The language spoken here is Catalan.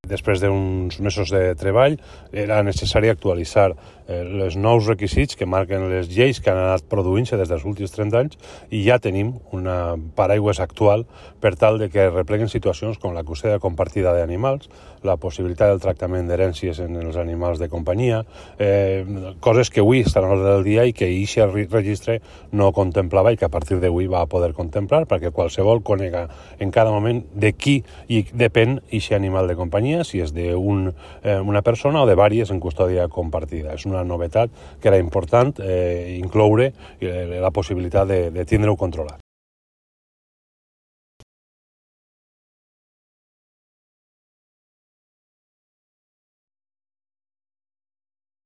Després d'uns mesos de treball era necessari actualitzar els nous requisits que marquen les lleis que han anat produint-se des dels últims 30 anys i ja tenim una paraigües actual per tal de que repleguen situacions com la custòdia compartida d'animals, la possibilitat del tractament d'herències en els animals de companyia, coses que avui estan a l'ordre del dia i que aquest registre no contemplava i que a partir d'avui va poder contemplar perquè qualsevol conega en cada moment de qui i depèn aquest animal de companyia, si és d'una persona o de diverses en custòdia compartida. És una novetat que era important incloure la possibilitat de tindre-ho controlat.